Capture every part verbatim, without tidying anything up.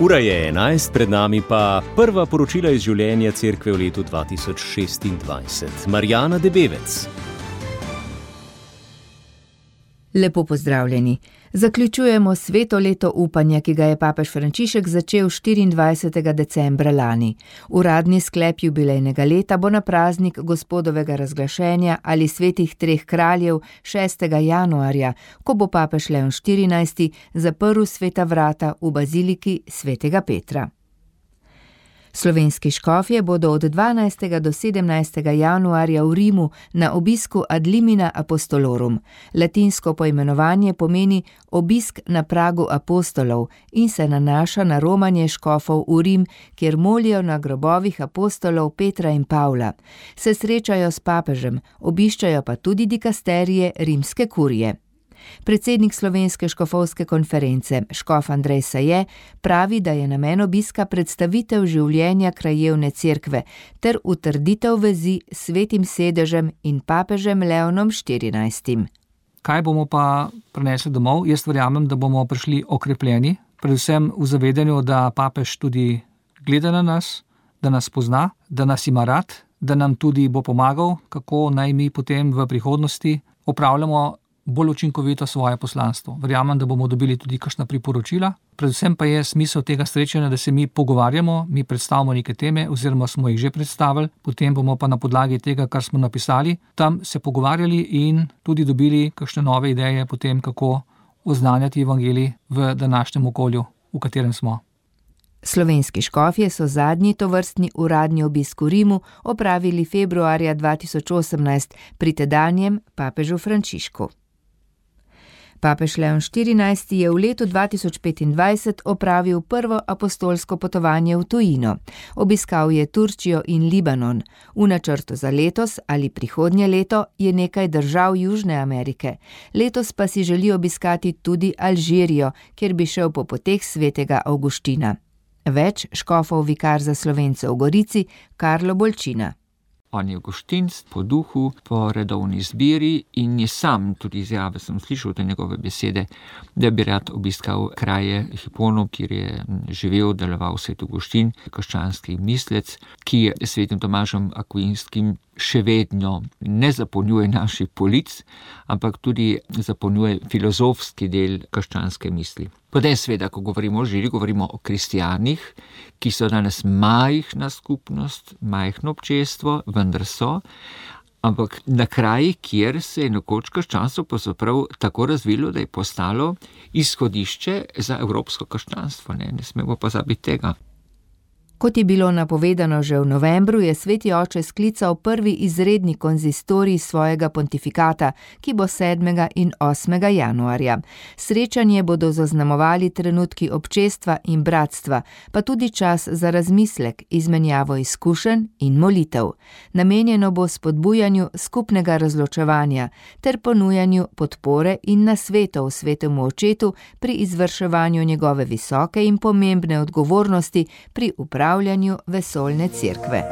Ura je enajst, pred nami pa prva poročila iz življenja cerkve v letu dva tisoč šestindvajset. Marjana Debevec. Lepo pozdravljeni. Zaključujemo sveto leto upanja, ki ga je papež Frančišek začel štiriindvajsetega decembra lani. Uradni sklep jubilejnega leta bo na praznik Gospodovega razglašenja ali svetih treh kraljev šestega januarja, ko bo papež Leon štirinajsti zaprl sveta vrata v baziliki svetega Petra. Slovenski škofje bodo od dvanajstega do sedemnajstega januarja v Rimu na obisku ad limina apostolorum. Latinsko poimenovanje pomeni obisk na pragu apostolov in se nanaša na romanje škofov v Rim, kjer molijo na grobovih apostolov Petra in Pavla. Se srečajo s papežem, obiščajo pa tudi dikasterije rimske kurije. Predsednik Slovenske škofovske konference, škof Andrej Saje, pravi, da je namen obiska predstavitev življenja krajevne cerkve ter utrditev vezi s svetim sedežem in papežem Leonom štirinajstim. Kaj bomo pa prinesli domov? Jaz verjamem, da bomo prišli okrepljeni, predvsem v zavedanju, da papež tudi gleda na nas, da nas pozna, da nas ima rad, da nam tudi bo pomagal, kako naj mi potem v prihodnosti opravljamo bolj učinkovito svoje poslanstvo. Verjamem, da bomo dobili tudi kakšna priporočila. Predvsem pa je smisel tega srečanja, da se mi pogovarjamo, mi predstavimo neke teme oziroma smo jih že predstavili, potem bomo pa na podlagi tega, kar smo napisali, tam se pogovarjali in tudi dobili kakšne nove ideje potem, kako oznanjati evangelij v današnjem okolju, v katerem smo. Slovenski škofje so zadnji tovrstni uradni obisk v Rimu opravili februarja dva tisoč osemnajst pri tedanjem papežu Frančišku. Papež Leon štirinajsti je v letu dva tisoč petindvajset opravil prvo apostolsko potovanje v tujino. Obiskal je Turčijo in Libanon. V načrtu za letos ali prihodnje leto je nekaj držav Južne Amerike. Letos pa si želi obiskati tudi Alžirijo, kjer bi šel po poteh svetega Avguština. Več škofov vikar za Slovence v Gorici, Karlo Bolčina. On je avguštinc po duhu, po redovni zbiri in je sam, tudi izjave sem slišal te njegove besede, da bi rad obiskal kraje Hiponov, kjer je živel, deloval svet Avguštin, krščanski mislec, ki je svetim Tomažem Akvinskim še vedno ne zapolnjuje naših polic, ampak tudi zapolnjuje filozofski del krščanske misli. Potem seveda, ko govorimo o žiri, govorimo o kristijanih, ki so danes majhna skupnost, majhno občestvo, vendar so, ampak na kraji, kjer se je nekoč krščanstvo pravzaprav tako razvilo, da je postalo izhodišče za evropsko krščanstvo. Ne, ne smemo pozabiti tega. Kot je bilo napovedano že v novembru, je sveti oče sklical prvi izredni konzistorij svojega pontifikata, ki bo sedmega in osmega januarja. Srečanje bodo zaznamovali trenutki občestva in bratstva, pa tudi čas za razmislek, izmenjavo izkušenj in molitev. Namenjeno bo spodbujanju skupnega razločevanja ter ponujanju podpore in nasvetov svetemu očetu pri izvrševanju njegove visoke in pomembne odgovornosti pri upravljanju vesoljne cerkve.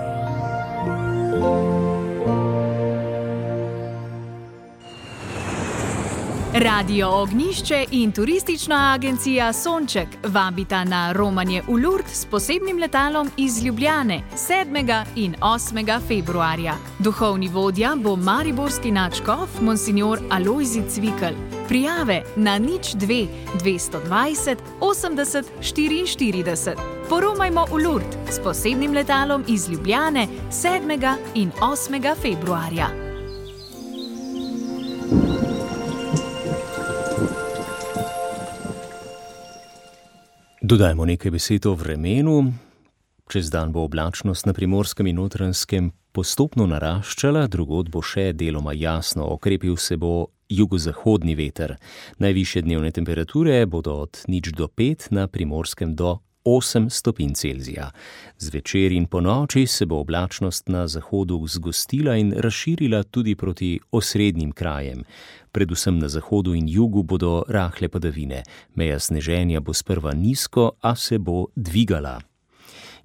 Radio Ognjišče in turistična agencija Sonček vabita na romanje v Lourdes s posebnim letalom iz Ljubljane sedmega in osmega februarja. Duhovni vodja bo mariborski nadškof monsignor Alojzij Cvikl. Prijave na nič dve dvesto dvajset osemdeset štiriinštirideset. Poromajmo v Lourdes s posebnim letalom iz Ljubljane sedmega in osmega februarja. Dodajmo nekaj besed o vremenu. Čez dan bo oblačnost na Primorskem in Notranjskem postopno naraščala, drugod bo še deloma jasno, okrepil se bo jugozahodni veter. Najvišje dnevne temperature bodo od nič do pet, na Primorskem do osem stopinj Celzija. Zvečer in ponoči se bo oblačnost na zahodu zgostila in razširila tudi proti osrednjim krajem. Predvsem na zahodu in jugu bodo rahle padavine. Meja sneženja bo sprva nizko, a se bo dvigala.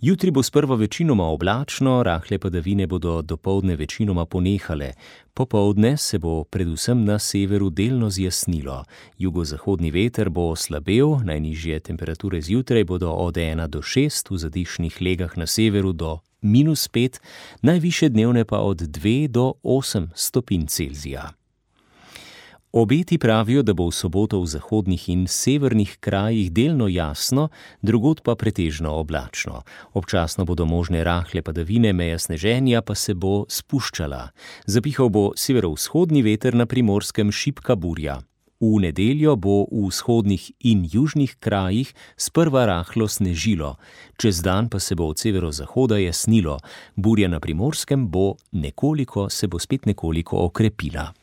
Jutri bo sprva večinoma oblačno, rahle padavine bodo dopoldne večinoma ponehale. Popoldne se bo predvsem na severu delno zjasnilo. Jugozahodni veter bo slabel, najnižje temperature zjutraj bodo od ena do šest, v zadišnih legah na severu do minus pet, najvišje dnevne pa od dve do osem stopinj Celzija. Obeti pravijo, da bo v soboto v zahodnih in severnih krajih delno jasno, drugod pa pretežno oblačno. Občasno bodo možne rahle padavine, meja sneženja pa se bo spuščala. Zapihal bo severovzhodni veter, na Primorskem šibka burja. V nedeljo bo v vzhodnih in južnih krajih sprva rahlo snežilo, čez dan pa se bo od severozahoda jasnilo. Burja na Primorskem bo nekoliko, se bo spet nekoliko okrepila.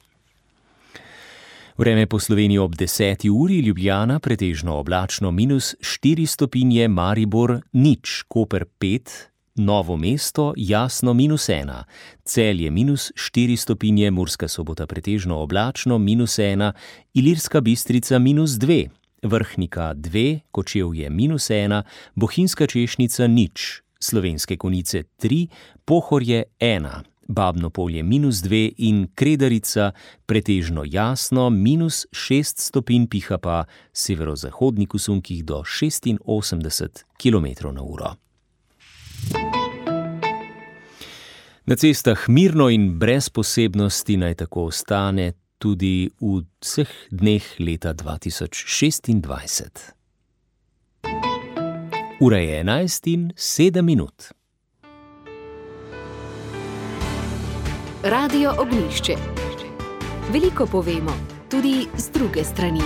Vreme po Sloveniji ob deseti uri, Ljubljana pretežno oblačno minus štiri stopinje, Maribor nič, Koper pet, Novo mesto jasno minus ena, Celje minus štiri stopinje, Murska Sobota pretežno oblačno minus ena, Ilirska Bistrica minus dve, Vrhnika dve, Kočevje minus ena, Bohinjska Češnica nič, Slovenske Konjice tri, Pohorje ena, Babno Polje minus dve in Kredarica pretežno jasno minus šest stopinj, piha pa severozahodnih usunkih do šestinosemdeset kilometrov na uro. Na cestah mirno in brez posebnosti naj tako ostane tudi v vseh dneh leta dva tisoč šestindvajset. Ura je enajst in sedem minut. Radio Ognjišče. Veliko povemo, tudi z druge strani.